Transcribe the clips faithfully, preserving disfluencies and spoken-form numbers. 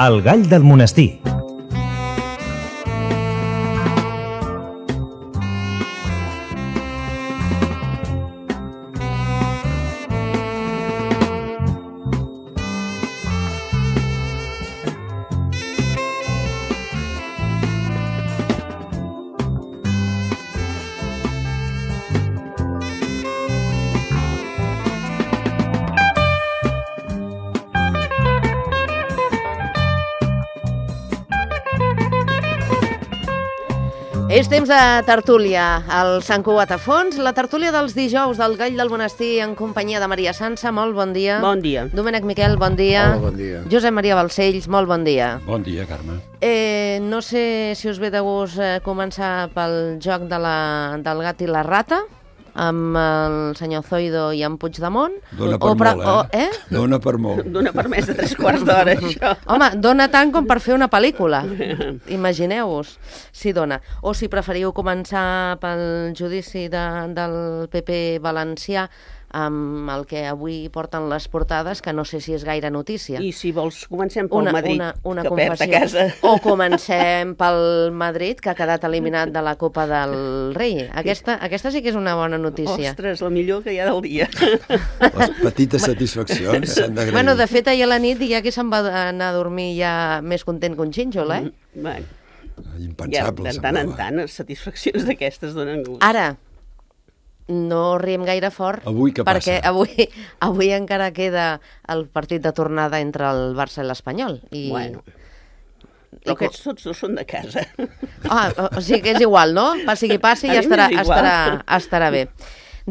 El gall del monestir. És temps de tertúlia al Sant Cugat a Fons, la tertúlia dels dijous del Gall del Monestir en companyia de Maria Sansa, molt bon dia. Bon dia. Domènec Miquel, bon dia. Hola, bon dia. Josep Maria Balcells, molt bon dia. Bon dia, Carme. Eh, no sé si us ve de gust eh, començar pel joc de la, del gat i la rata, amb el senyor Zoido i en Puigdemont. Dóna per o, molt, o, eh? eh? Dóna per molt. Dóna per més de tres quarts d'hora, això. Home, dona tant com per fer una pel·lícula. Imagineu-vos si dona. O si preferiu començar pel judici de, del P P valencià, amb el que avui porten les portades, que no sé si és gaire notícia. I si vols, comencem pel una, Madrid, una, una que perd a confessió. casa. O comencem pel Madrid, que ha quedat eliminat de la Copa del Rei. Aquesta, aquesta sí que és una bona notícia. Ostres, la millor que hi ha del dia. Les petites satisfaccions s'han d'agrair. Bueno, de fet, ahir a la nit hi ha qui se'n va anar a dormir ja més content que un xínxol, eh? Mm, bueno, Impensable, ja, de tant en semblava. tant, satisfaccions d'aquestes donen gust. Ara, no riem gaire fort, Avui què perquè passa? avui, avui encara queda el partit de tornada entre el Barça i l'Espanyol. I... Bueno, i però co- aquests tots dos són de casa. Ah, o, o sigui que és igual, no? Passi qui passi, A ja mi estarà, m'és igual. estarà, estarà bé.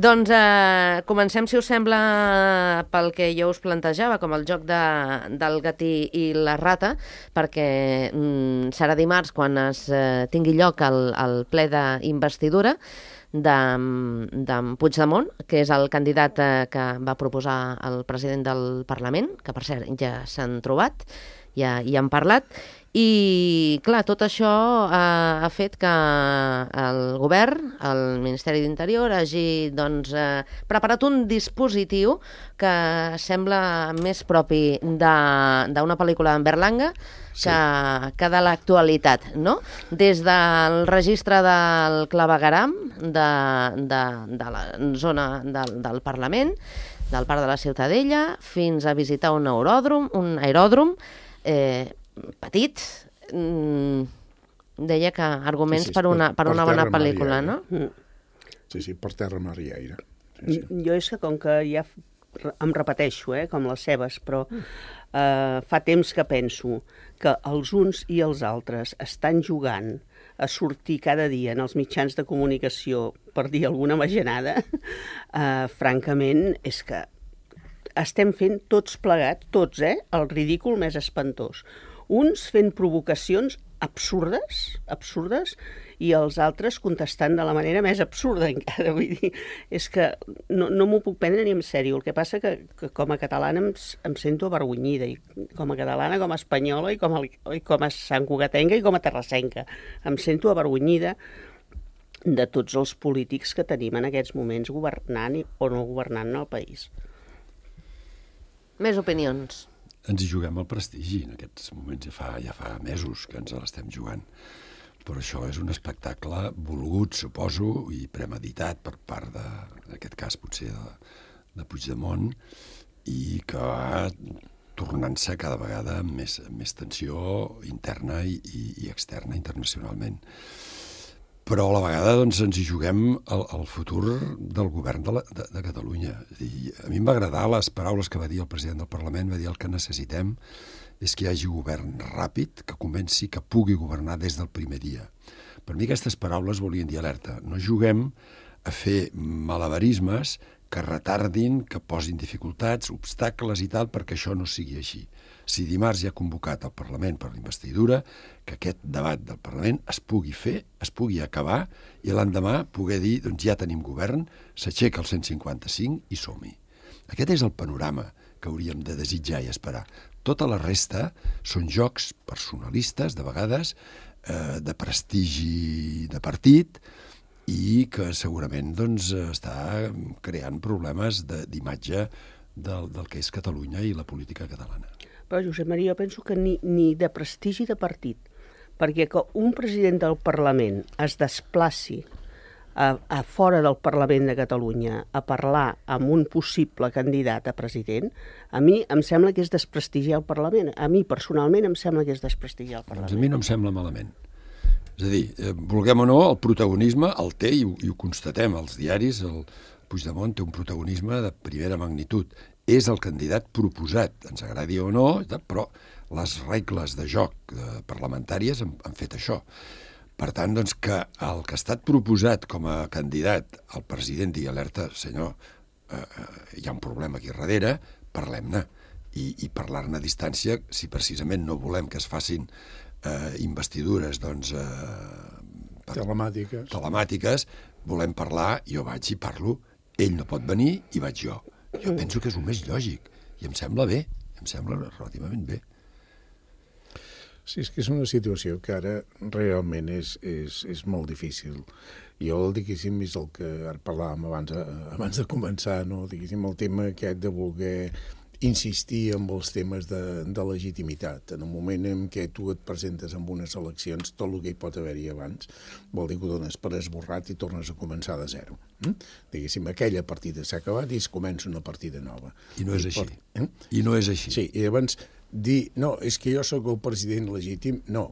Doncs eh, comencem, si us sembla, pel que jo us plantejava, com el joc de, del gatí i la rata, perquè mm, serà dimarts quan es eh, tingui lloc el, el ple d'investidura d'en Puigdemont, que és el candidat eh, que va proposar el president del Parlament, que per cert ja s'han trobat, ja hi han parlat, i clar, tot això eh, ha fet que el govern, el Ministeri d'Interior, hagi doncs, eh, preparat un dispositiu que sembla més propi de- d'una pel·lícula d'en Berlanga que, sí. que de l'actualitat, no? Des del registre del clavegueram de, de, de la zona del, del Parlament, del Parc de la Ciutadella, fins a visitar un aeròdrom, un aeròdrom eh, petit, mm, deia que arguments Sí, sí, per una, per per una bona terra, mar i pel·lícula, aire. no? Sí, sí, per terra, mar i aire. Sí, sí. Jo és que com que ja f- em repeteixo, eh, com les seves, però eh, fa temps que penso que els uns i els altres estan jugant a sortir cada dia en els mitjans de comunicació per dir alguna magenada, eh, francament, és que estem fent tots plegats, tots, eh, el ridícul més espantós. Uns fent provocacions absurdes, absurdes, i els altres contestant de la manera més absurda encara. Vull dir, és que no, no m'ho puc prendre ni en sèrio. El que passa que, que com a catalana em, s- em sento avergonyida, i com a catalana, com a espanyola, i com a, i com a santcugatenca i com a terrassenca. Em sento avergonyida de tots els polítics que tenim en aquests moments governant i, o no governant el país. Més opinions. Ens hi juguem el prestigi en aquests moments, ja fa, ja fa mesos que ens l'estem jugant. Però això és un espectacle volgut, suposo, i premeditat per part de, en aquest cas potser de, de Puigdemont, i que va tornant-se cada vegada amb més, amb més tensió interna i, i, i externa internacionalment. Però a la vegada doncs, ens hi juguem el, el futur del govern de, la, de, de Catalunya. És a dir, a mi em va agradar les paraules que va dir el president del Parlament, va dir el que necessitem és que hi hagi govern ràpid, que comenci, que pugui governar des del primer dia. Per mi aquestes paraules volien dir alerta. No juguem a fer malabarismes que retardin, que posin dificultats, obstacles i tal, perquè això no sigui així. Si dimarts hi ha convocat el Parlament per l'investidura, que aquest debat del Parlament es pugui fer, es pugui acabar, i l'endemà poder dir, doncs ja tenim govern, s'aixeca el cent cinquanta-cinc i som-hi. Aquest és el panorama que hauríem de desitjar i esperar. Tota la resta són jocs personalistes, de vegades, eh, de prestigi de partit, i que segurament doncs, està creant problemes de- d'imatge del, del que és Catalunya i la política catalana. Però, Josep Maria, jo penso que ni, ni de prestigi de partit, perquè que un president del Parlament es desplaci a, a fora del Parlament de Catalunya a parlar amb un possible candidat a president, a mi em sembla que és desprestigiar el Parlament. A mi, personalment, em sembla que és desprestigiar el Parlament. Doncs a mi no em sembla malament. És a dir, eh, vulguem o no, el protagonisme el té, i ho, i ho constatem als diaris, el Puigdemont té un protagonisme de primera magnitud. És el candidat proposat, ens agradi o no, però les regles de joc eh, parlamentàries han, han fet això. Per tant, doncs, que el que ha estat proposat com a candidat al president digui alerta, senyor, eh, hi ha un problema aquí darrere, parlem-ne. I, i parlar-ne a distància, si precisament no volem que es facin eh, investidures doncs, eh, per, telemàtiques. telemàtiques, volem parlar, jo vaig i parlo, ell no pot venir i vaig jo. Jo penso que és el més lògic i em sembla bé, em sembla relativament bé. Sí, és que és una situació que ara realment és, és, és molt difícil. Jo, diguéssim, és el que ara parlàvem abans, abans de començar, no? Diguéssim, el tema aquest de voler insistir en els temes de, de legitimitat. En un moment en què tu et presentes en unes eleccions, tot el que hi pot haver-hi abans vol dir que ho dones per esborrat i tornes a començar de zero. Mm? Diguéssim, aquella partida s'ha acabat i es comença una partida nova. I no és I així. pot, eh? I no és així. Sí, i llavors dir, no, és que jo sóc el president legítim, no,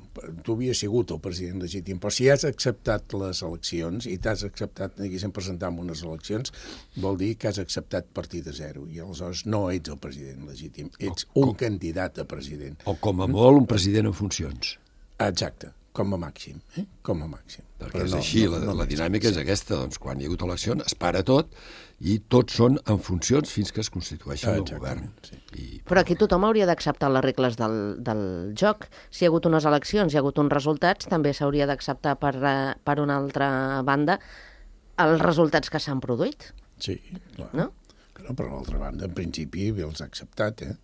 tu havies sigut el president legítim, però si has acceptat les eleccions i t'has acceptat, diguéssim, presentar en unes eleccions, vol dir que has acceptat partir de zero, i aleshores no ets el president legítim, ets o, un com, candidat a president. O com a molt un president en funcions. Exacte, com a màxim, eh? com a màxim. Perquè és no, així, no, la, no, la dinàmica és aquesta, doncs quan hi ha hagut eleccions es para tot i tots són en funcions fins que es constitueixen el govern. Sí. I, però aquí tothom hauria d'acceptar les regles del, del joc. Si hi ha hagut unes eleccions, hi ha hagut uns resultats, també s'hauria d'acceptar per, per una altra banda els resultats que s'han produït. Sí, clar. No? No, per l'altra banda, en principi, els ha acceptat, eh?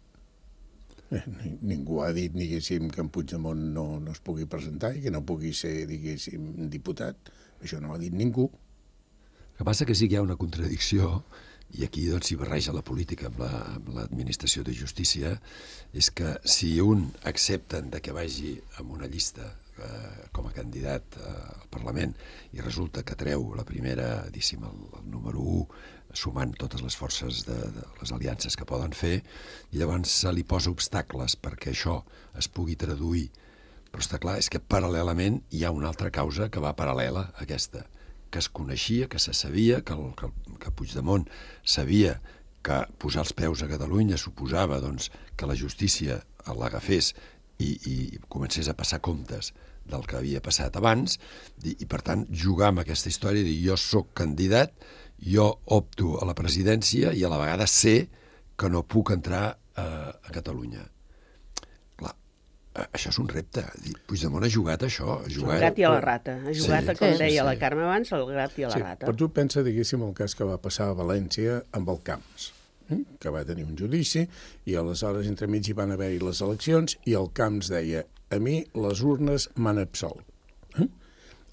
Ningú ha dit, diguéssim, que en Puigdemont no, no es pugui presentar i que no pugui ser, diguéssim, diputat. Això no ho ha dit ningú. El que passa que sí que hi ha una contradicció, i aquí doncs s'hi barreja la política amb l'administració la, de justícia, és que si un accepten de que vagi amb una llista eh, com a candidat eh, al Parlament i resulta que treu la primera, diguéssim, el, el número u, sumant totes les forces de, de les aliances que poden fer, i llavors se li posa obstacles perquè això es pugui traduir. Però està clar, és que paral·lelament hi ha una altra causa que va paral·lela a aquesta, que es coneixia, que se sabia, que, el, que, que Puigdemont sabia que posar els peus a Catalunya suposava doncs, que la justícia l'agafés i, i comencés a passar comptes del que havia passat abans, i, i per tant jugar amb aquesta història de dir jo sóc candidat, jo opto a la presidència i a la vegada sé que no puc entrar a, a Catalunya. Clar, això és un repte. Puigdemont ha jugat això. Ha jugat... El gat i a la rata. Ha jugat, sí, com sí, deia sí. la Carme abans, el gat i a la sí, rata. Però tu pensa, diguéssim, el cas que va passar a València amb el Camps, eh? que va tenir un judici i aleshores entremig hi van haver-hi les eleccions i el Camps deia a mi les urnes m'han absolt. Eh?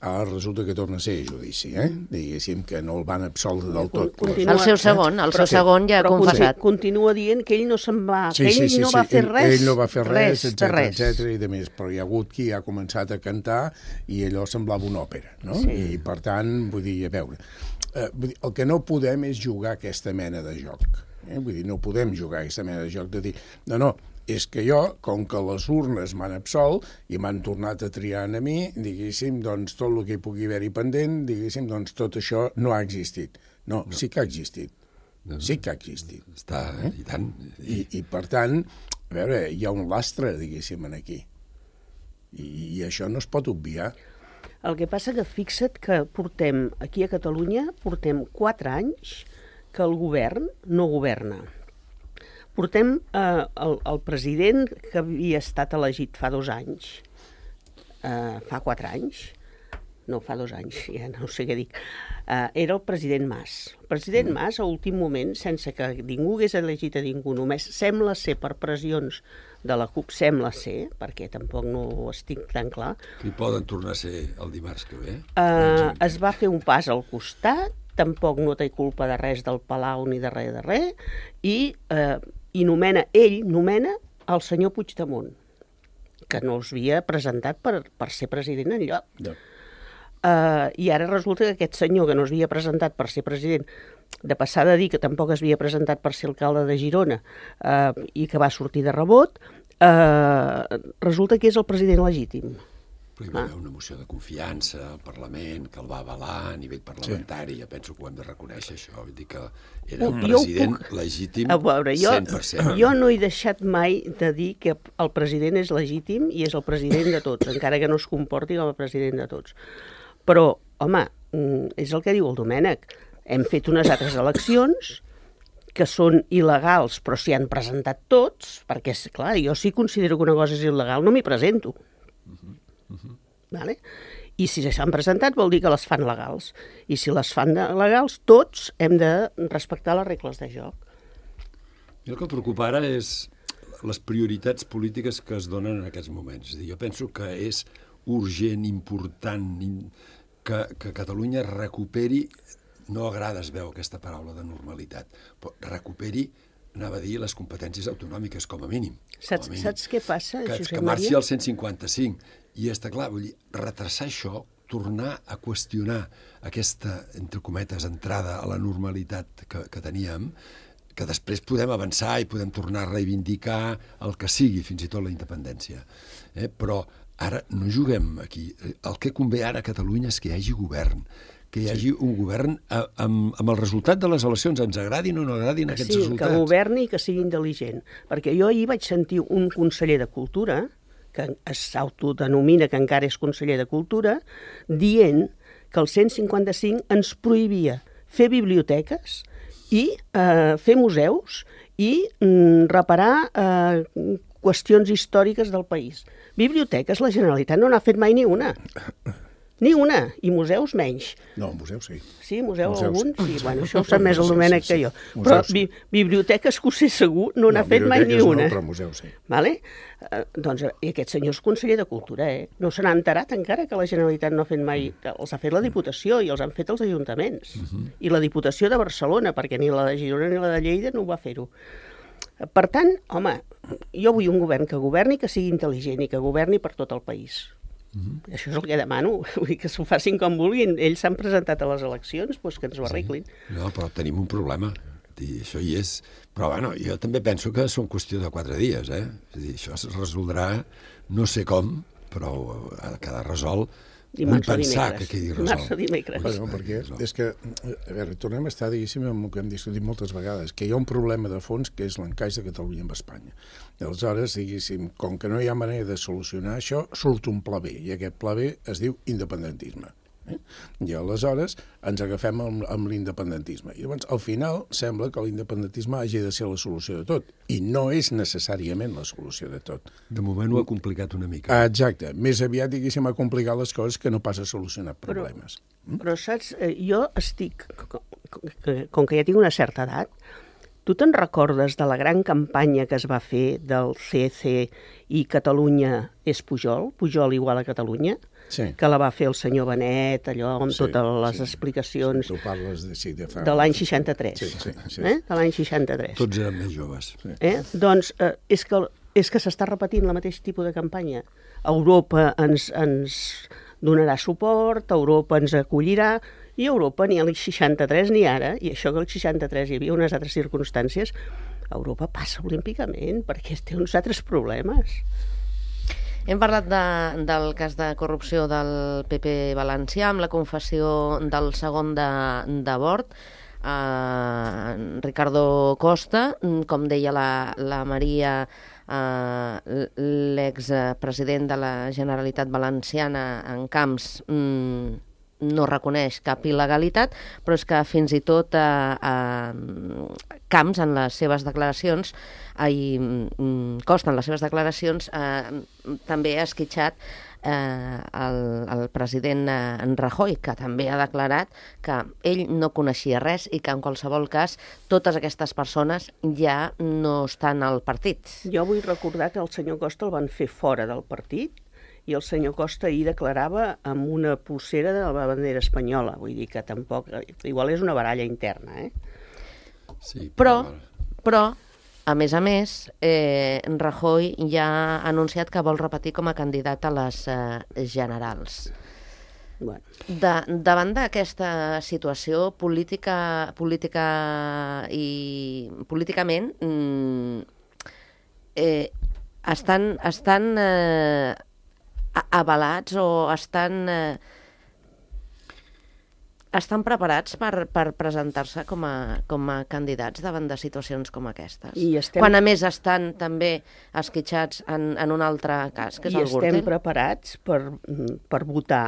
Ara resulta que torna a ser judici, eh? Diguéssim que no el van absoldre del tot. Continua, el seu segon, el seu segon ja ha confessat. Continua dient que ell no se'n va, sí, que ell sí, sí, no sí. va fer res. Ell no va fer res, etcètera, res. etcètera, i de més. Però hi ha hagut qui ha començat a cantar i allò semblava una òpera, no? Sí. I per tant, vull dir, a veure, eh, vull dir, el que no podem és jugar aquesta mena de joc. Eh? Vull dir, no podem jugar aquesta mena de joc de dir, no, no, és que jo, com que les urnes m'han absolt i m'han tornat a triar a mi, diguéssim, doncs tot el que hi pugui haver-hi pendent, diguéssim, doncs tot això no ha existit. No, no. sí que ha existit. No, no. Sí que ha existit. Està, eh? i tant. I, I, per tant, a veure, hi ha un lastre, diguéssim, aquí. I, i això no es pot obviar. El que passa que fixa't que portem, aquí a Catalunya, portem quatre anys que el govern no governa. Portem eh, el, el president que havia estat elegit fa dos anys, eh, fa quatre anys, no, fa dos anys, ja no sé què dic, eh, era el president Mas. El president Mas, a últim moment, sense que ningú hagués elegit a ningú, només sembla ser per pressions de la CUP, sembla ser, perquè tampoc no ho estic tan clar, que hi poden tornar a ser el dimarts que ve. Eh, es va fer un pas al costat, tampoc no té culpa de res del Palau ni de res de res, i, eh, i nomena, ell nomena el senyor Puigdemont, que no els havia presentat per, per ser president enlloc. No. Uh, I ara resulta que aquest senyor que no es havia presentat per ser president, de passar de dir que tampoc es havia presentat per ser alcalde de Girona uh, i que va sortir de rebot, uh, resulta que és el president legítim. Però hi va haver una moció de confiança al Parlament que el va avalar a nivell parlamentari. Sí. Jo penso que ho hem de reconèixer, això. Vull dir que era un president puc... legítim a veure, jo, cent per cent. Jo no he deixat mai de dir que el president és legítim i és el president de tots, encara que no es comporti com a president de tots. Però, home, és el que diu el Domènec. Hem fet unes altres eleccions que són il·legals, però s'hi han presentat tots, perquè, clar, jo si considero que una cosa és il·legal no m'hi presento. Uh-huh. Uh-huh. Vale? I si s'han presentat vol dir que les fan legals. I si les fan legals, tots hem de respectar les regles de joc. I el que em preocupa ara és les prioritats polítiques que es donen en aquests moments. És a dir, jo penso que és urgent, important, que, que Catalunya recuperi, no agrada, es veu aquesta paraula de normalitat, però recuperi, anava a dir, les competències autonòmiques, com a mínim. Saps, com a mínim. saps què passa, que, Josep que marxi Maria? al cent cinquanta-cinc. I està clar, vull dir, retrasar això, tornar a qüestionar aquesta, entre cometes, entrada a la normalitat que, que teníem, que després podem avançar i podem tornar a reivindicar el que sigui, fins i tot la independència. Eh? Però ara no juguem aquí. El que convé ara a Catalunya és que hi hagi govern, que hi hagi un govern amb, amb el resultat de les eleccions, ens agradin o no agradin aquests sí, resultats. Que governi i que sigui intel·ligent. Perquè jo ahir vaig sentir un conseller de Cultura, que s'autodenomina que encara és conseller de Cultura, dient que el cent cinquanta-cinc ens prohibia fer biblioteques i eh, fer museus i mm, reparar eh, qüestions històriques del país. Biblioteques la Generalitat no n'ha fet mai ni una. Ni una, i museus menys. No, museus sí. Sí, museu museus, alguns, sí. sí. Bueno, això ho sap més el Domènec sí, sí, sí. que jo. Museus, però sí. bi biblioteques que ho sé segur no n'ha no, fet mai ni una. No, però museus sí. Vale? Eh, doncs, i aquest senyor és conseller de Cultura, eh? No se n'ha enterat encara que la Generalitat no ha fet mai... Els ha fet la Diputació i els han fet els ajuntaments. Uh -huh. I la Diputació de Barcelona, perquè ni la de Girona ni la de Lleida no ho va fer-ho. Per tant, home, jo vull un govern que governi, que sigui intel·ligent i que governi per tot el país. Uh-huh. Això és el que demano, vull dir que s'ho facin com vulguin. Ells s'han presentat a les eleccions, doncs que ens ho arreglin. Sí. No, però tenim un problema, I això hi és. Però bueno, jo també penso que són qüestió de quatre dies, eh? És a dir, això es resoldrà, no sé com, però ha de quedar resolt. Dimarts Vull o pensar dimecres. que quedi Dimarts resolt. o dimecres. Bueno, perquè és que, a veure, tornem a estar, diguéssim, amb el que hem discutit moltes vegades, que hi ha un problema de fons que és l'encaix de Catalunya amb Espanya. I aleshores, diguéssim, com que no hi ha manera de solucionar això, surt un pla B, i aquest pla B es diu independentisme. Eh? I aleshores ens agafem amb, amb l'independentisme. I llavors, al final, sembla que l'independentisme hagi de ser la solució de tot, i no és necessàriament la solució de tot. De moment ho ha complicat una mica. Exacte. Més aviat, diguéssim, ha complicat les coses que no pas a solucionar problemes. Però, però saps, jo estic, com que ja tinc una certa edat, tu te'n recordes de la gran campanya que es va fer del C C i Catalunya és Pujol, Pujol igual a Catalunya? Sí. Que la va fer el senyor Benet, allò amb Sí, totes les sí. explicacions Tu parles de, sí, de, fa... de l'any seixanta-tres. Sí, sí, sí. Eh? De l'any seixanta-tres. Tots eren més joves. Sí. Eh? Doncs eh, és que, és que s'està repetint la mateix tipus de campanya. Europa ens, ens donarà suport, Europa ens acollirà, i Europa ni al seixanta-tres ni ara, i això que al seixanta-tres hi havia unes altres circumstàncies, Europa passa olímpicament perquè té uns altres problemes. Hem parlat de, del cas de corrupció del P P valencià amb la confessió del segon de, de Bort, eh, Ricardo Costa, com deia la, la Maria, eh, l'expresident de la Generalitat Valenciana en Camps, mm, no reconeix cap il·legalitat, però és que fins i tot eh, eh, Camps, en les seves declaracions, eh, Costa, en les seves declaracions, eh, també ha esquitxat eh, el, el president eh, Rajoy, que també ha declarat que ell no coneixia res i que en qualsevol cas totes aquestes persones ja no estan al partit. Jo vull recordar que el senyor Costa el van fer fora del partit, i el senyor Costa ahir declarava amb una pulsera de la bandera espanyola, vull dir que tampoc... Igual és una baralla interna, eh? Sí, però, però a més a més, eh, Rajoy ja ha anunciat que vol repetir com a candidat a les eh, generals. Bueno. De, davant d'aquesta situació política, política i políticament mm, eh, estan, estan eh, avalats o estan eh, estan preparats per, per presentar-se com a, com a candidats davant de situacions com aquestes. I estem... Quan a més estan també esquitxats en, en un altre cas, que és I el Gürtel. I estem preparats per, per votar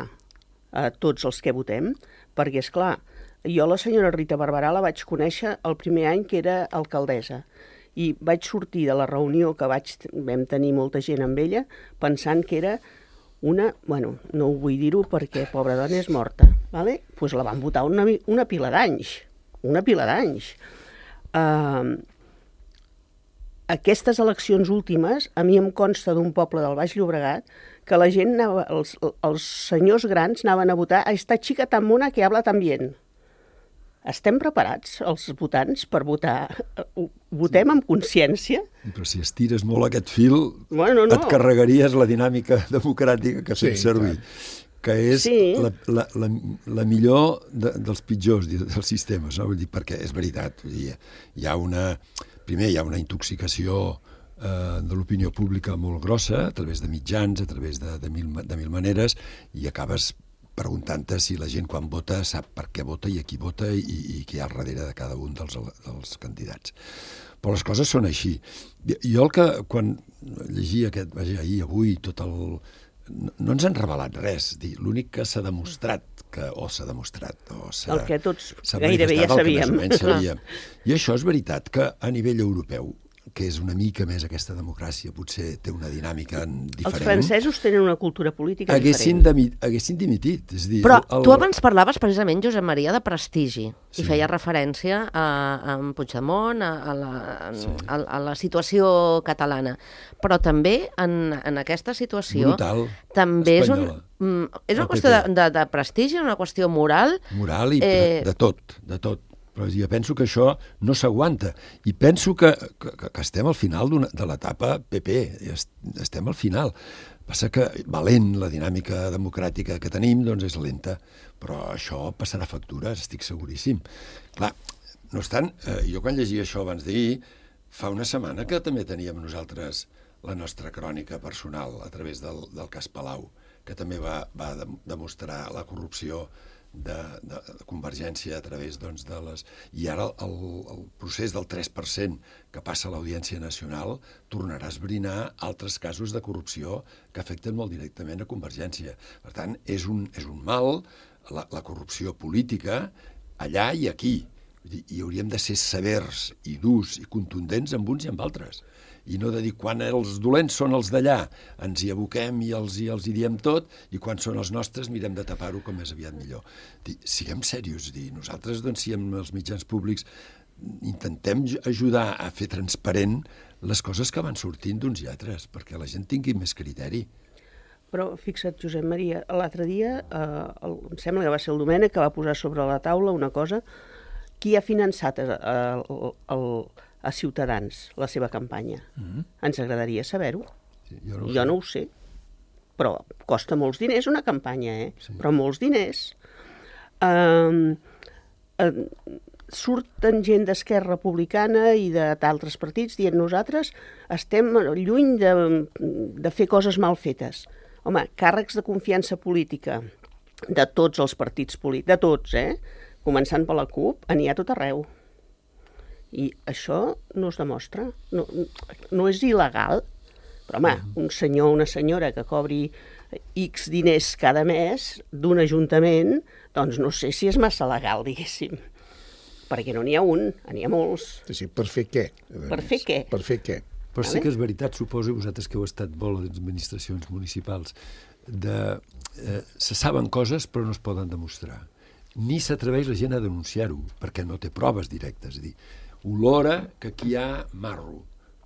a tots els que votem, perquè, és clar, jo la senyora Rita Barberà la vaig conèixer el primer any que era alcaldessa, i vaig sortir de la reunió que vaig, vam tenir molta gent amb ella, pensant que era una, bueno, no ho vull dir-ho perquè pobra dona és morta, vale? Pues la van votar una, una pila d'anys, una pila d'anys. Uh, aquestes eleccions últimes, a mi em consta d'un poble del Baix Llobregat que la gent, anava, els, els senyors grans anaven a votar a esta chica tan mona que habla tan bien. Estem preparats, els votants, per votar? Votem amb consciència? Però si estires molt aquest fil, bueno, no. et carregaries la dinàmica democràtica que fem sí, servir, clar. Que és sí. la, la, la, la millor de, dels pitjors dels sistemes, no? Vull dir, perquè és veritat, vull dir, hi ha una... Primer, hi ha una intoxicació eh, de l'opinió pública molt grossa, a través de mitjans, a través de, de, mil, de mil maneres, i acabes preguntant-te si la gent quan vota sap per què vota i a qui vota i, i què hi ha al darrere de cada un dels, dels candidats. Però les coses són així. Jo el que, quan llegia aquest, vaja, ahir, avui, tot el... No, no ens han revelat res, dir, l'únic que s'ha demostrat, que, o s'ha demostrat, o s'ha... El que tots gairebé ja sabíem. sabíem. I això és veritat que a nivell europeu, que és una mica més aquesta democràcia, potser té una dinàmica diferent. Els francesos tenen una cultura política haguessin diferent. Demi, haguessin dimitit. És dir, Però el... tu abans parlaves precisament, Josep Maria, de prestigi, sí. i feia referència a, a en Puigdemont, a, a, la, sí. a, a la situació catalana. Però també en, en aquesta situació... Brutal, també espanyola. És, un, és una qüestió de, de, de prestigi, una qüestió moral... Moral i eh... de tot, de tot. Però jo penso que això no s'aguanta. I penso que, que, que estem al final de l'etapa P P. Estem al final. Passa que valent la dinàmica democràtica que tenim doncs és lenta. Però això passarà factures, estic seguríssim. Clar, no obstant, eh, jo quan llegia això abans d'ahir, fa una setmana que també teníem nosaltres la nostra crònica personal a través del, del cas Palau, que també va, va demostrar la corrupció De, de, de Convergència a través doncs, de les... I ara el, el procés del tres per cent que passa a l'Audiència Nacional tornarà a esbrinar altres casos de corrupció que afecten molt directament a Convergència. Per tant, és un, és un mal, la, la corrupció política, allà i aquí. I hauríem de ser severs i durs i contundents amb uns i amb altres. I no de dir, quan els dolents són els d'allà, ens hi aboquem i els, i els hi diem tot, i quan són els nostres mirem de tapar-ho com més aviat millor. Dir, siguem serios, dir, nosaltres, doncs, si amb els mitjans públics intentem ajudar a fer transparent les coses que van sortint d'uns i altres, perquè la gent tingui més criteri. Però fixa't, Josep Maria, l'altre dia, eh, el, em sembla que va ser el Domènec que va posar sobre la taula una cosa, qui ha finançat el, el, el a Ciutadans, la seva campanya. Mm-hmm. Ens agradaria saber-ho. Sí, jo no ho, jo no ho sé. Però costa molts diners una campanya, eh? Sí. Però molts diners. Uh, uh, surten gent d'Esquerra Republicana i d'altres partits dient nosaltres estem lluny de, de fer coses mal fetes. Home, càrrecs de confiança política de tots els partits polítics, de tots, eh? Començant per la CUP, n'hi ha tot arreu. I això no es demostra, no, no és il·legal, però home, un senyor o una senyora que cobri X diners cada mes d'un ajuntament, doncs no sé si és massa legal, diguéssim, perquè no n'hi ha un, n'hi ha molts. Sí, per fer què? Per fer què? Per fer què? Però sí que és veritat, suposo, vosaltres que heu estat molt a les administracions municipals, de, eh, se saben coses però no es poden demostrar. Ni s'atreveix la gent a denunciar-ho, perquè no té proves directes, és a dir, olora que aquí hi ha marro,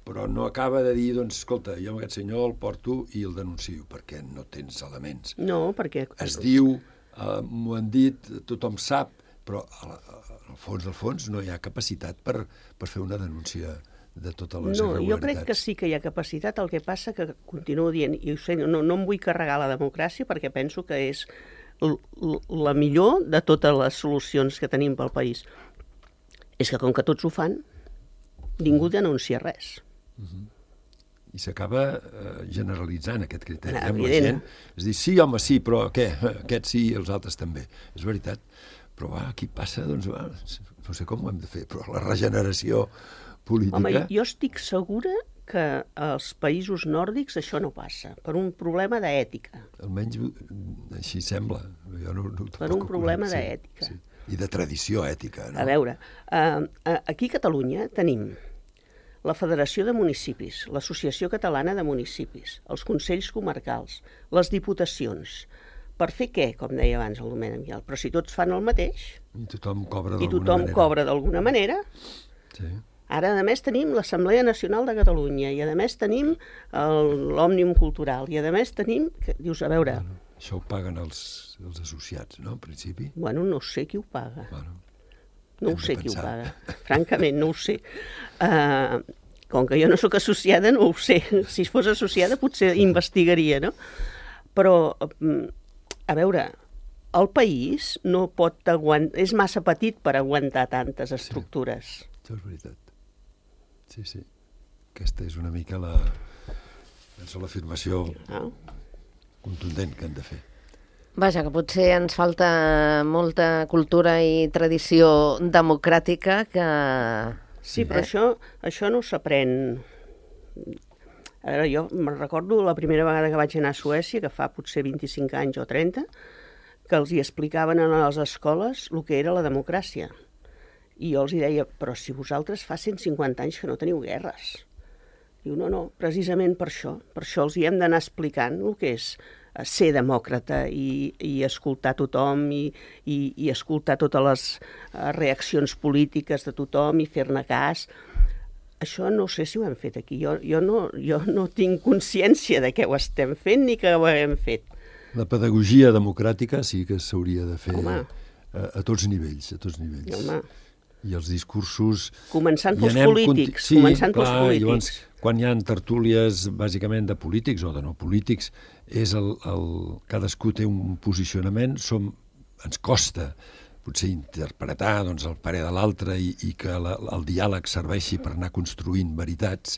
però no acaba de dir, doncs, escolta, jo amb aquest senyor el porto i el denuncio, perquè no tens elements. No, perquè... Es diu, eh, m'ho han dit, tothom sap, però al fons, al fons, no hi ha capacitat per, per fer una denúncia de totes les No, irregularitats. jo crec que sí que hi ha capacitat, el que passa que continuo dient, i ho sé, no, no em vull carregar la democràcia perquè penso que és l- l- la millor de totes les solucions que tenim pel país. És que com que tots ho fan, ningú denuncia res. I s'acaba eh, generalitzant aquest criteri. Ah, eh, amb la evident. gent. És dir, sí, home, sí, però què? Aquests sí i els altres també. És veritat. Però va, aquí passa, doncs, va, no sé com ho hem de fer, però la regeneració política... Home, jo estic segura que als països nòrdics això no passa, per un problema d'ètica. Almenys mm, així sembla. Jo no, no, Per un problema d'ètica. Sí. I de tradició ètica, no? A veure, eh, aquí a Catalunya tenim la Federació de Municipis, l'Associació Catalana de Municipis, els Consells Comarcals, les Diputacions. Per fer què, com deia abans el Domènec Mial? Però si tots fan el mateix I tothom cobra i d'alguna tothom manera. cobra d'alguna manera, Sí. ara a més tenim l'Assemblea Nacional de Catalunya i a més tenim el- l'Òmnium Cultural i a més tenim... Que, dius, a veure, Bueno, això ho paguen els, els associats, no, en principi? bueno, no sé qui ho paga. Bueno, No Hem ho de sé qui ho pensar. paga. Francament, no ho sé. Uh, com que jo no sóc associada, no ho sé. Si fos associada potser investigaria, no? Però, mm, a veure, el país no pot aguantar... És massa petit per aguantar tantes estructures. això és veritat. Sí, sí. Aquesta és una mica la... penso l'afirmació No? contundent que hem de fer. Vaja, que potser ens falta molta cultura i tradició democràtica que... Sí, però això, això no s'aprèn. A veure, jo me'n recordo la primera vegada que vaig anar a Suècia, que fa potser vint-i-cinc anys o trenta, que els hi explicaven a les escoles el que era la democràcia. I jo els hi deia, però si vosaltres fa cent cinquanta anys que no teniu guerres. Diu, no, no, precisament per això. Per això els hi hem d'anar explicant el que és eh, ser demòcrata i, i escoltar tothom i, i, i escoltar totes les eh, reaccions polítiques de tothom i fer-ne cas. Això no sé si ho hem fet aquí. Jo, jo, no, jo no tinc consciència de què ho estem fent ni que ho hem fet. La pedagogia democràtica sí que s'hauria de fer Home. a, a tots nivells, a tots nivells. Home. I els discursos... Començant i pels anem polítics, conti- començant pels clar, polítics. Llavors, quan hi ha tertúlies bàsicament de polítics o de no polítics, és el, el, cadascú té un posicionament, som, ens costa potser interpretar doncs, el parer de l'altre i, i que la, el diàleg serveixi per anar construint veritats,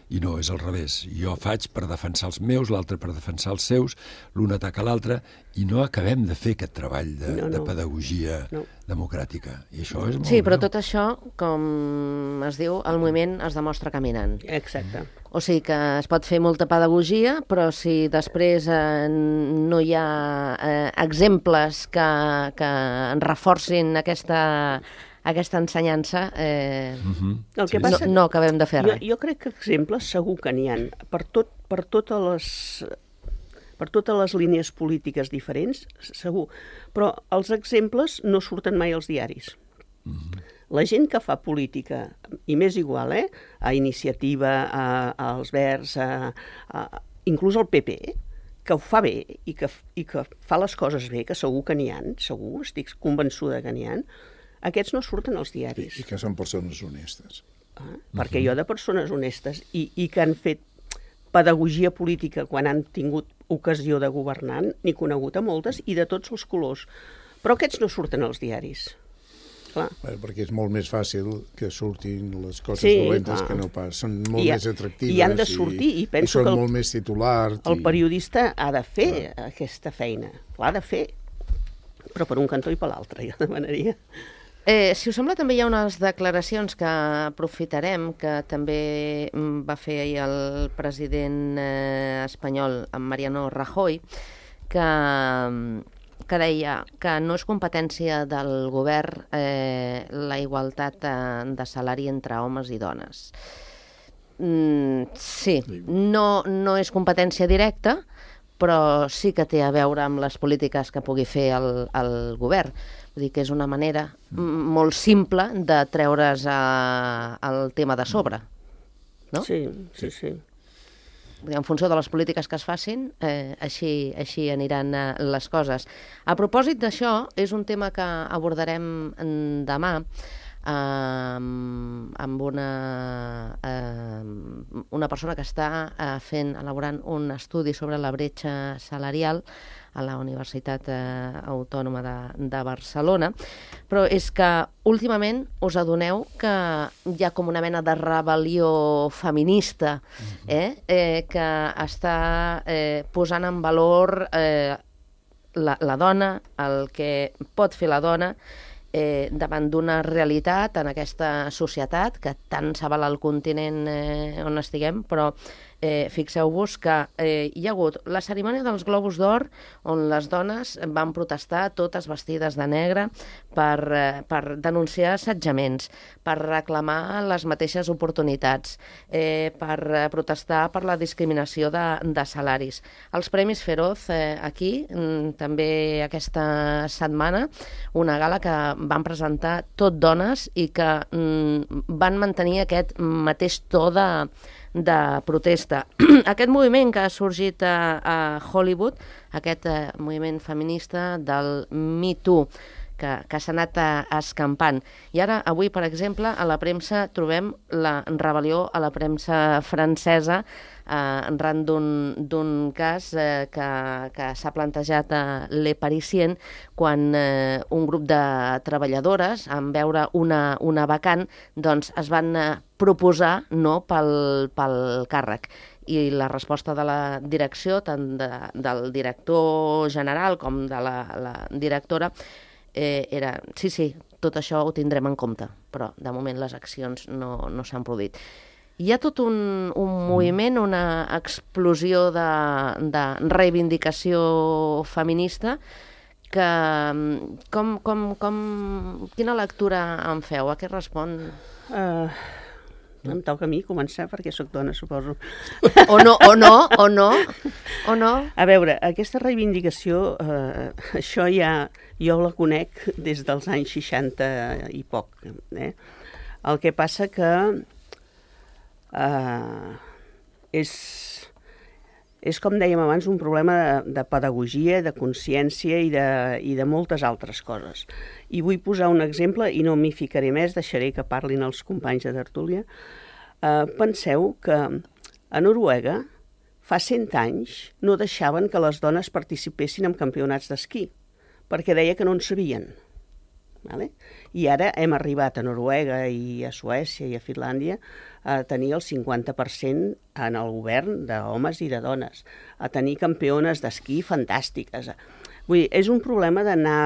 i no, és al revés. Jo faig per defensar els meus, l'altre per defensar els seus, l'un ataca l'altre, i no acabem de fer aquest treball de, No, no. de pedagogia No. democràtica. I això és molt Sí, però greu. tot això, com es diu, el moviment es demostra caminant. Exacte. O sigui que es pot fer molta pedagogia, però si després eh, no hi ha eh, exemples que, que en reforcin aquesta, aquesta ensenyança, eh, Mhm. El que Sí, no, passa... no acabem de fer Jo, res. jo crec que exemples segur que n'hi ha. Per, tot, per, totes les, per totes les línies polítiques diferents, segur. Però els exemples no surten mai als diaris. La gent que fa política, i m'és igual, eh? A Iniciativa, a, als Verds, a, a, inclús al P P, que ho fa bé i que, i que fa les coses bé, que segur que n'hi ha, segur, estic convençuda que n'hi ha, aquests no surten als I, diaris. i que són persones honestes. Ah, perquè jo de persones honestes i, i que han fet pedagogia política quan han tingut ocasió de governar, n'he conegut a moltes i de tots els colors. Però aquests no surten als diaris. Clar. Bé, perquè és molt més fàcil que surtin les coses Sí, dolentes clar. que no pas. Són molt I ha- més atractives i han de sortir, i penso són que el- molt més titulars. El i- periodista ha de fer aquesta feina. L'ha de fer. Però per un cantó i per l'altre, jo demanaria. Eh, si us sembla, també hi ha unes declaracions que aprofitarem, que també mm, va fer ahir el president eh, espanyol, en Mariano Rajoy, que, que deia que no és competència del govern eh, la igualtat eh, de salari entre homes i dones. Mm, sí, no, no és competència directa, però sí que té a veure amb les polítiques que pugui fer el, el govern. Vull dir que és una manera mm, molt simple de treure's a, el tema de sobre. No? Sí, sí, sí. Vull dir, en funció de les polítiques que es facin, eh, així, així aniran eh, les coses. A propòsit d'això, és un tema que abordarem mm, demà, amb, amb una, eh, una persona que està eh, fent, elaborant un estudi sobre la bretxa salarial a la Universitat eh, Autònoma de, de Barcelona, però és que últimament us adoneu que hi ha com una mena de rebel·lió feminista eh, eh, que està eh, posant en valor eh, la, la dona, el que pot fer la dona, eh, davant d'una realitat en aquesta societat que tant s'avala el continent eh, on estiguem, però eh, fixeu-vos que eh, hi ha hagut la cerimònia dels Globus d'Or on les dones van protestar totes vestides de negre per, eh, per denunciar assetjaments, per reclamar les mateixes oportunitats, eh, per eh, protestar per la discriminació de, de salaris. Els Premis Feroz eh, aquí, mm, també aquesta setmana, una gala que van presentar tot dones i que mm, van mantenir aquest mateix to de, de protesta. Aquest moviment que ha sorgit a, a Hollywood, aquest eh, moviment feminista del Me Too, que, que s'ha anat a, escampant. I ara, avui, per exemple, a la premsa trobem la rebel·lió a la premsa francesa eh, arran d'un cas eh, que, que s'ha plantejat a Le Parisien quan eh, un grup de treballadores, en veure una, una vacant, doncs es van eh, proposar no pel, pel càrrec. I la resposta de la direcció, tant de, del director general com de la, la directora, eh, era, sí, sí, tot això ho tindrem en compte, però de moment les accions no, no s'han produït. Hi ha tot un, un moviment, una explosió de, de reivindicació feminista que, com, com, com, quina lectura en feu? A què respon? Uh, em toca a mi començar perquè sóc dona, suposo. O no, o no, o no, o no. A veure, aquesta reivindicació, eh, això ja, jo la conec des dels anys seixanta i poc. Eh? El que passa que eh, és, és, com dèiem abans, un problema de, de pedagogia, de consciència i de, i de moltes altres coses. I vull posar un exemple, i no m'hi ficaré més, deixaré que parlin els companys de tertúlia. Eh, penseu que a Noruega fa cent anys no deixaven que les dones participessin en campionats d'esquí, perquè deia que no en sabien. Vale? I ara hem arribat a Noruega i a Suècia i a Finlàndia a tenir el cinquanta per cent en el govern d'homes i de dones, a tenir campiones d'esquí fantàstiques. Vull dir, és un problema d'anar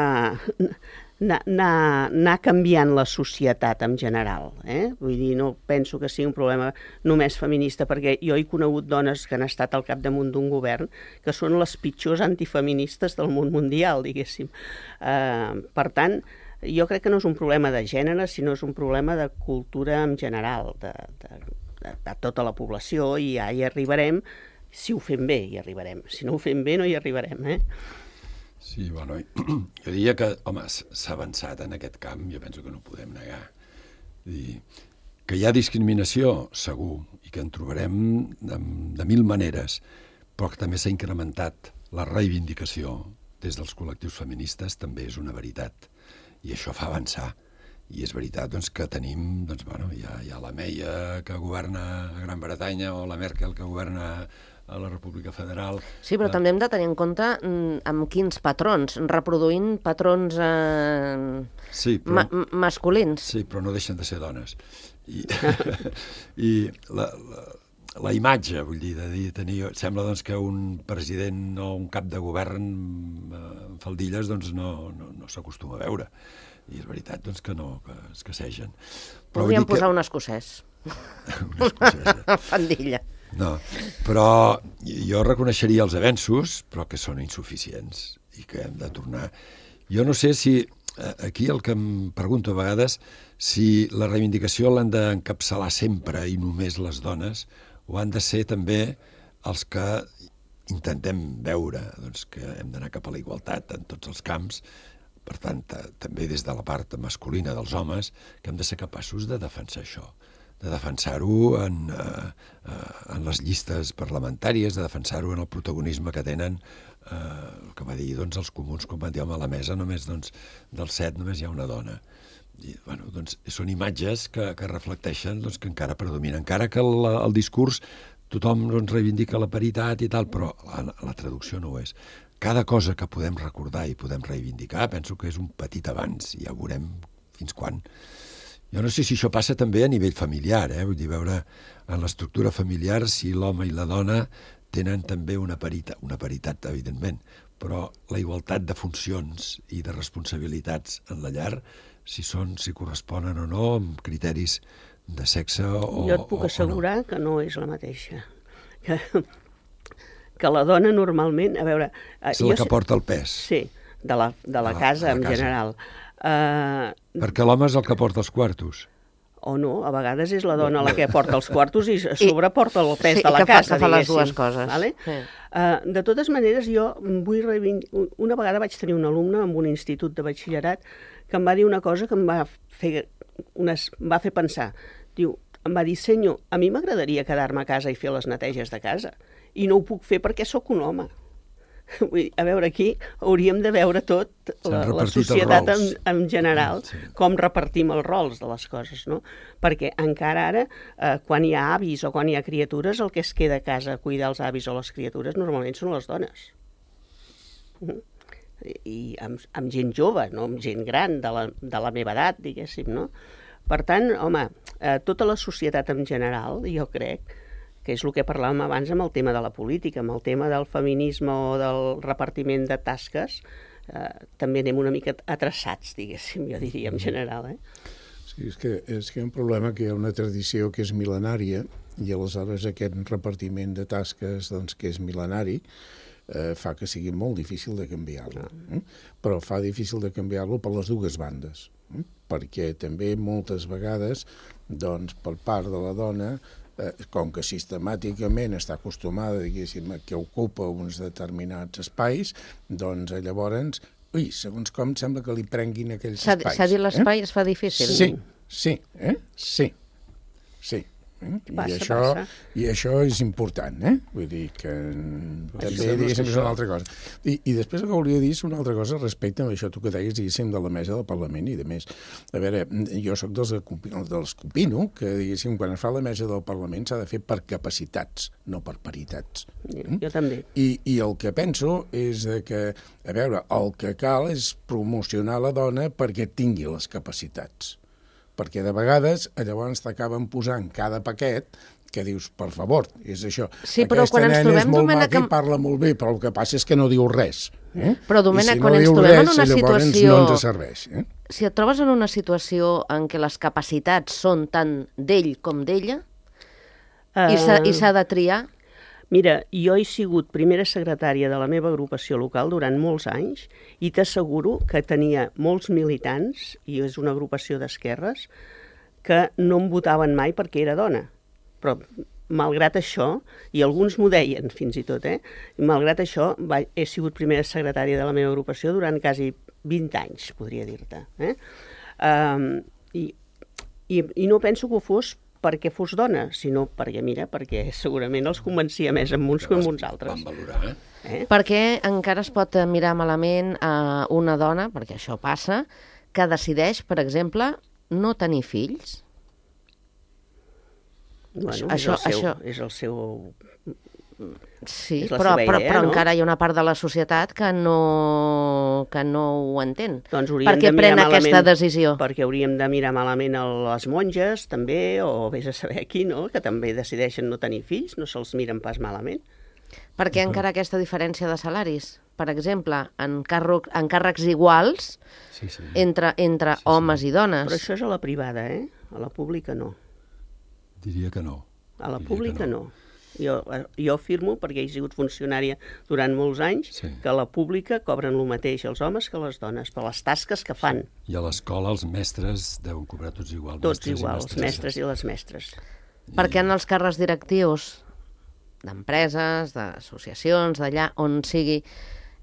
anar, anar, anar canviant la societat en general. Eh? Vull dir, no penso que sigui un problema només feminista, perquè jo he conegut dones que han estat al capdamunt d'un govern que són les pitjors antifeministes del món mundial, diguéssim. Eh, per tant, jo crec que no és un problema de gènere, sinó és un problema de cultura en general, de, de, de, de tota la població, i ja hi arribarem. Si ho fem bé, hi arribarem. Si no ho fem bé, no hi arribarem, eh? Sí, bueno, jo diria que, home, s'ha avançat en aquest camp, jo penso que no ho podem negar. I que hi ha discriminació, segur, i que en trobarem de, de mil maneres, però que també s'ha incrementat la reivindicació des dels col·lectius feministes, també és una veritat. I això fa avançar. I és veritat doncs, que tenim, doncs, bueno, hi ha, hi ha la Meia que governa a Gran Bretanya o la Merkel que governa a la República Federal. Sí, però uh, també hem de tenir en compte mm, amb quins patrons, reproduint patrons eh, sí, però, ma masculins. Sí, però no deixen de ser dones. I, i la, la, la imatge, vull dir, de dir, tenir, sembla doncs, que un president o un cap de govern amb faldilles doncs, no, no, no s'acostuma a veure. I és veritat doncs, que no, que es queixegen. Podríem posar que... un escocès. un escocès. Eh? Faldilla. No, però jo reconeixeria els avenços, però que són insuficients i que hem de tornar. Jo no sé si, aquí el que em pregunto a vegades, si la reivindicació l'han d'encapçalar sempre i només les dones, o han de ser també els que intentem veure doncs, que hem d'anar cap a la igualtat en tots els camps, per tant, també des de la part masculina dels homes, que hem de ser capaços de defensar això, de defensar-ho en, eh, en les llistes parlamentàries, de defensar-ho en el protagonisme que tenen, eh, el que va dir doncs, els comuns quan van dir, home, a la mesa només doncs, dels set només hi ha una dona. I, bueno, doncs, són imatges que, que reflecteixen doncs, que encara predomina. Encara que el, el discurs tothom doncs, reivindica la paritat i tal, però la, la traducció no ho és. Cada cosa que podem recordar i podem reivindicar penso que és un petit avanç, i ja veurem fins quan. Jo no sé si això passa també a nivell familiar, eh? Vull dir, veure en l'estructura familiar si l'home i la dona tenen també una paritat, una paritat, evidentment, però la igualtat de funcions i de responsabilitats en la llar, si són, si corresponen o no, amb criteris de sexe o Jo et puc o, assegurar o no. que no és la mateixa. Que, que la dona normalment, a veure... És la que porta el pes. Sí, de la, de la casa de la en casa. general. Uh, Perquè l'home és el que porta els quartos. o no, a vegades és la dona la que porta els quartos i a sobre porta el pes sí, de la que fa, casa, que fa les diguéssim. dues coses. Vale? Sí. Uh, de totes maneres, jo vull reivindicar... Una vegada vaig tenir un alumne en un institut de batxillerat que em va dir una cosa que em va fer, unes, em va fer pensar. Diu, em va dir, senyor, a mi m'agradaria quedar-me a casa i fer les neteges de casa, i no ho puc fer perquè sóc un home. Vull dir, a veure, aquí hauríem de veure tot, la, la societat en, en general, sí. Com repartim els rols de les coses, no? Perquè encara ara, eh, quan hi ha avis o quan hi ha criatures, el que es queda a casa a cuidar els avis o les criatures normalment són les dones. Mm. I amb, amb gent jove, no amb gent gran, de la, de la meva edat, diguéssim, no? Per tant, home, eh, tota la societat en general, jo crec, que és el que parlàvem abans amb el tema de la política, amb el tema del feminisme o del repartiment de tasques, eh, també anem una mica atreçats, diguéssim, jo diria, en general. Eh? Sí, és que, és que hi ha un problema que hi ha una tradició que és mil·lenària, i aleshores aquest repartiment de tasques doncs, que és mil·lenari, eh, fa que sigui molt difícil de canviar-lo. Eh? Però fa difícil de canviar-lo per les dues bandes, eh? Perquè també moltes vegades, doncs, per part de la dona, Eh, com que sistemàticament està acostumada, diguéssim, que ocupa uns determinats espais, doncs llavors, ui, segons com sembla que li prenguin aquells espais. S'ha dit l'espai eh? es fa difícil. Sí, sí, eh? sí, sí. Eh? Passa, I, això, passa. I això és important, eh? Vull dir que també, diguéssim, és una altra cosa. I, I després el que volia dir és una altra cosa respecte a això tu que deies, diguéssim, de la mesa del Parlament i de més. A veure, jo sóc dels, dels que opino que, diguéssim, quan es fa la mesa del Parlament s'ha de fer per capacitats, no per paritats. Jo, jo també. I, I el que penso és que, a veure, el que cal és promocionar la dona perquè tingui les capacitats. Perquè de vegades llavors t'acaben posant cada paquet que dius, per favor, és això. Sí, però Aquesta quan ens nena trobem, és molt Domènec, maca amb... i parla molt bé, però el que passa és que no diu res. Eh? Però, Domènec, I si quan no ens diu trobem res, en una llavors situació... no ens serveix. Eh? Si et trobes en una situació en què les capacitats són tant d'ell com d'ella, uh... i s'ha de triar... Mira, jo he sigut primera secretària de la meva agrupació local durant molts anys i t'asseguro que tenia molts militants, i és una agrupació d'esquerres, que no em votaven mai perquè era dona. Però, malgrat això, i alguns m'ho deien fins i tot, eh? malgrat això, va, he sigut primera secretària de la meva agrupació durant quasi vint anys, podria dir-te. Eh? Um, i, i, I no penso que ho fos perquè fos dona, sinó perquè, mira, perquè segurament els convencia més amb uns que amb uns altres. Van valorar, eh? Eh? Perquè encara es pot mirar malament a una dona, perquè això passa, que decideix, per exemple, no tenir fills. Bueno, això, és, el seu, això... és el seu... Sí, és la però, seva però, idea, però no? encara hi ha una part de la societat que no, que no ho entén. Doncs hauríem Per què de pren mirar aquesta malament, decisió? Perquè hauríem de mirar malament a les monges, també, o vés a saber qui, no?, que també decideixen no tenir fills, no se'ls miren pas malament. Per què encara aquesta diferència de salaris? Per exemple, en, càrrec, en càrrecs iguals sí, sí. entre, entre sí, sí. homes i dones. Però això és a la privada, eh? A la pública no. Diria que no. A la Diria pública no. no. Jo, jo afirmo, perquè he sigut funcionària durant molts anys, sí. que a la pública cobren el mateix els homes que les dones, per les tasques que fan. Sí. I a l'escola els mestres deuen cobrar tots igual. Tots mestres igual, els mestres i les mestres. I... Perquè en els càrrecs directius d'empreses, d'associacions, d'allà on sigui,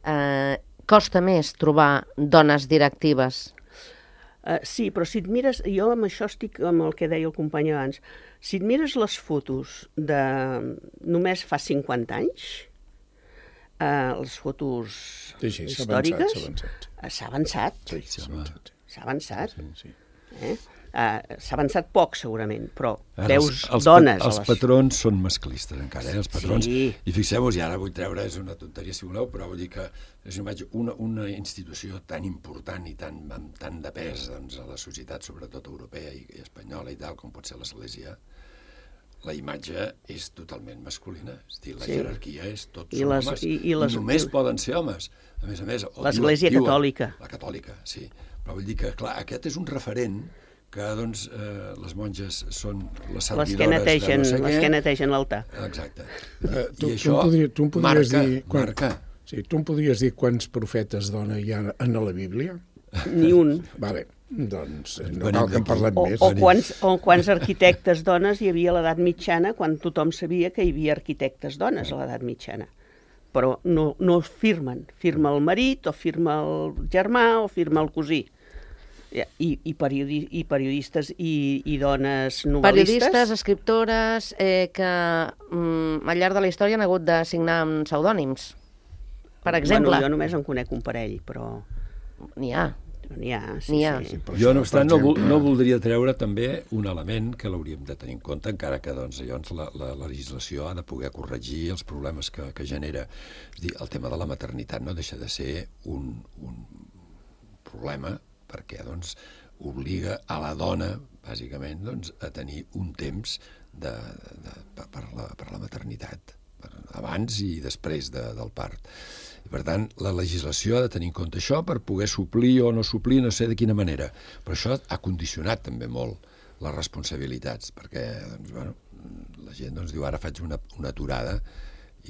eh, costa més trobar dones directives. Uh, sí, però si et mires, jo amb això estic amb el que deia el company abans, si et mires les fotos de només fa cinquanta anys, uh, les fotos sí, sí, històriques, s'ha avançat. s'ha avançat. Sí, s'ha avançat. S'ha avançat. Sí, sí. Eh? Uh, S'ha avançat poc, segurament, però Ara, veus els, els, dones... Els a les... patrons són masclistes, encara, eh? Els patrons. Sí. I fixeu-vos, i ara vull treure, és una tonteria si voleu, però vull dir que és una, una, una institució tan important i tan, amb tant de pes doncs, a la societat, sobretot europea i, i espanyola i tal, com pot ser l'Església, la imatge és totalment masculina. És a dir, la Sí. jerarquia és tot I són les- homes. i- i les- només i- poden ser homes. A més a més... o L'Església diuen- diuen- catòlica. La catòlica, sí. Però vull dir que, clar, aquest és un referent que, doncs, eh, les monges són les servidores Les que netegen, de no sé les què. que netegen l'altar. Exacte. Eh, tu, I tu, això em podria, tu em podries marca, dir... quan- marca. Sí, tu em podries dir quants profetes dona hi ha en la Bíblia? Ni un. Vale, doncs eh, no Venim cal que en d'aquí. parlem O, més. o, quants, o quants arquitectes dones hi havia a l'edat mitjana, quan tothom sabia que hi havia arquitectes dones a l'edat mitjana. Però no, no firmen. Firma el marit, o firma el germà, o firma el cosí. I, i, periodi, i periodistes i, i dones novel·listes. Periodistes, escriptores, eh, que mm, al llarg de la història han hagut de signar amb pseudònims. Per exemple. Bueno, jo només en conec un parell, però N'hi ha. n'hi ha. Sí, N'hi ha. sí. Per Jo, això, no obstant, per no, vol- exemple, no voldria treure també un element que l'hauríem de tenir en compte, encara que doncs, llavors la, la, la legislació ha de poder corregir els problemes que, que genera. És a dir, el tema de la maternitat no deixa de ser un, un problema, perquè doncs, obliga a la dona, bàsicament, doncs, a tenir un temps de, de, de, per, per, la, per la maternitat, per, abans i després de, del part. I, per tant, la legislació ha de tenir en compte això per poder suplir o no suplir, no sé de quina manera. Però això ha condicionat també molt les responsabilitats, perquè doncs, bueno, la gent doncs, diu ara faig una, una aturada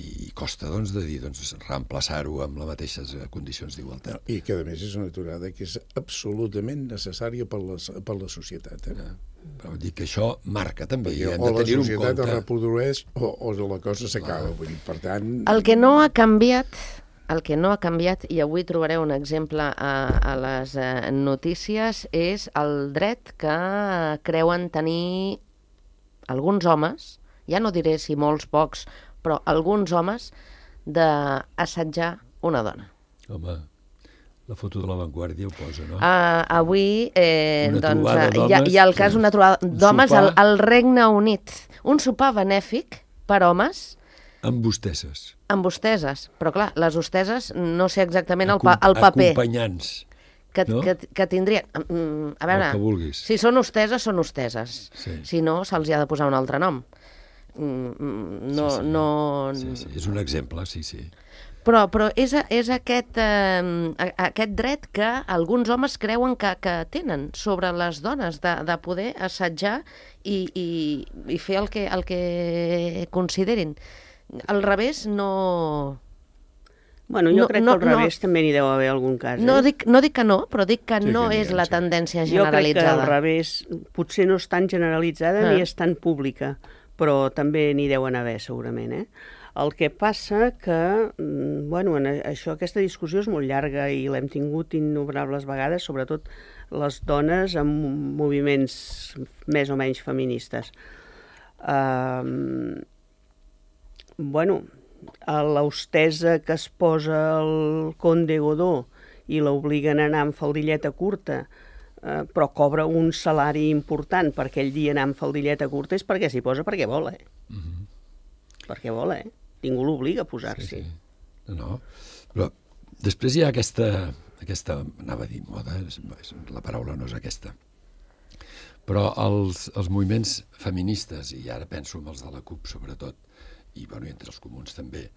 i costa doncs, de dir doncs, reemplaçar-ho amb les mateixes condicions d'igualtat. I que, a més, és una aturada que és absolutament necessària per la, per la societat. Eh? Però vull dir que això marca també, i Perquè hem o de la tenir-ho en societat es compte. reprodueix o, o la cosa s'acaba. Vull dir, per tant... El que no ha canviat, el que no ha canviat, i avui trobareu un exemple a, a les eh, notícies, és el dret que creuen tenir alguns homes, ja no diré si molts, pocs, però alguns homes, d'assetjar una dona. Home, la foto de l'avantguàrdia ho posa, no? Uh, avui eh, Una doncs, trobada eh, hi, ha, hi ha el cas d'homes, d'una trobada un d'homes al, sopar. al Regne Unit. Un sopar benèfic per homes Amb hosteses. amb hosteses. Però clar, les hosteses no sé exactament el, pa, el paper Acompanyants. que, no? que, que tindrien. Mm, A veure, El que vulguis. si són hosteses, són hosteses. Sí. Si no, se'ls hi ha de posar un altre nom. Mm, No, Sí, sí. no... Sí, sí, és un exemple, sí, sí. Però, però és, és aquest, eh, aquest dret que alguns homes creuen que, que tenen sobre les dones, de, de poder assetjar i, i, i fer el que, el que considerin. Al revés, no... Bueno, jo No, crec no, que al revés no. també n'hi deu haver algun cas. Eh? No dic, no dic que no, però dic que Sí, no que n'hi és ha, la sí. tendència Jo crec que generalitzada. al revés, potser no és tan generalitzada Ah. ni és tan pública, però també n'hi deuen haver, segurament. Eh? El que passa que, mm, bueno, en això, aquesta discussió és molt llarga i l'hem tingut innombrables vegades, sobretot les dones amb moviments més o menys feministes. Uh, bueno, a l'hostesa que es posa el conde Godó i l'obliguen a anar amb faldilleta curta, eh, però cobra un salari important per aquell dia anar amb faldilleta curta, és perquè s'hi posa perquè vol, eh? Mhm. Perquè vol, eh? Ningú l'obliga a posar-s'hi. Sí, sí. No, no. Però després hi ha aquesta, aquesta anava a dir moda, és, és, la paraula no és aquesta, però els, els moviments feministes, i ara penso en els de la CUP sobretot, i, bueno, i entre els comuns també,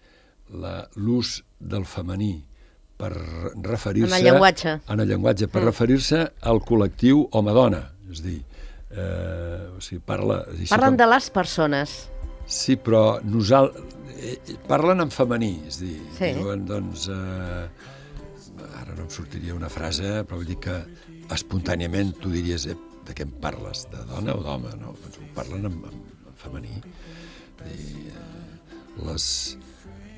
la- l'ús del femení per referir-se... En el llenguatge. En el llenguatge, per Mm. referir-se al col·lectiu home-dona. És a dir, eh, o sigui, parla... així Parlen com- de les persones. Sí, però nosal... eh, parlen en femení, és a dir, Sí. diuen, doncs, eh, ara no em sortiria una frase, però vull dir que espontàniament tu diries, eh, de què em parles, de dona o d'home, no? Doncs ho parlen en, en, en femení. I, eh, les,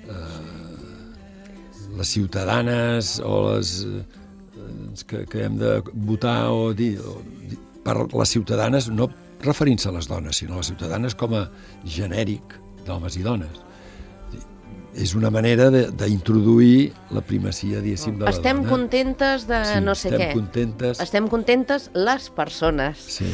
eh, les ciutadanes o les eh, que, que hem de votar o dir, o dir per les ciutadanes, no referint-se a les dones, sinó a les ciutadanes com a genèric d'homes i dones. és una manera d'introduir la primacia, diguéssim, de la estem dona. contentes de Sí, no sé estem què. contentes. Estem contentes les persones. Sí,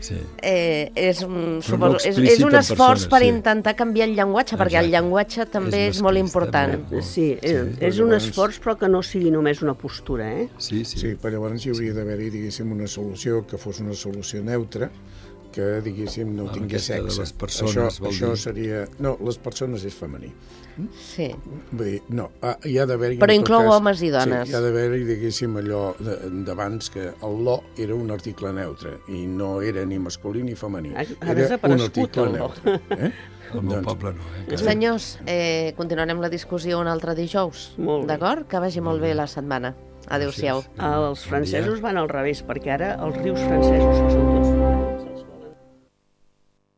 sí. Eh, és, un, Però suposo, no és, és explícit un en esforç persones, per sí. intentar canviar el llenguatge, perquè el Exacte. llenguatge també És és, molt masclista, important. molt, molt. Sí, és, Sí, és un llavors- esforç, però que no sigui només una postura, eh? Sí, sí. Sí, però llavors hi hauria d'haver-hi, diguéssim, una solució que fos una solució neutra, que, diguéssim, no Ah, tingués aquesta de sexe. les persones, això, vol això dir? seria... No, les persones és femení. Sí. Vull dir, no, ah, hi ha d'haver-hi... Però en tot inclou cas- homes i dones. Sí, hi ha d'haver-hi, diguéssim, allò de- d'abans, que el lo era un article neutre, i no era ni masculí ni femení. Ha- ha Era un desaparegut, article el lo. neutre. Eh? Al meu Doncs- poble no, eh? encara. Senyors, eh, continuarem la discussió un altre dijous. Molt bé. D'acord? Que vagi molt bé la setmana. Adéu-siau. Gràcies. Els francesos van al revés, perquè ara els rius francesos, que són tots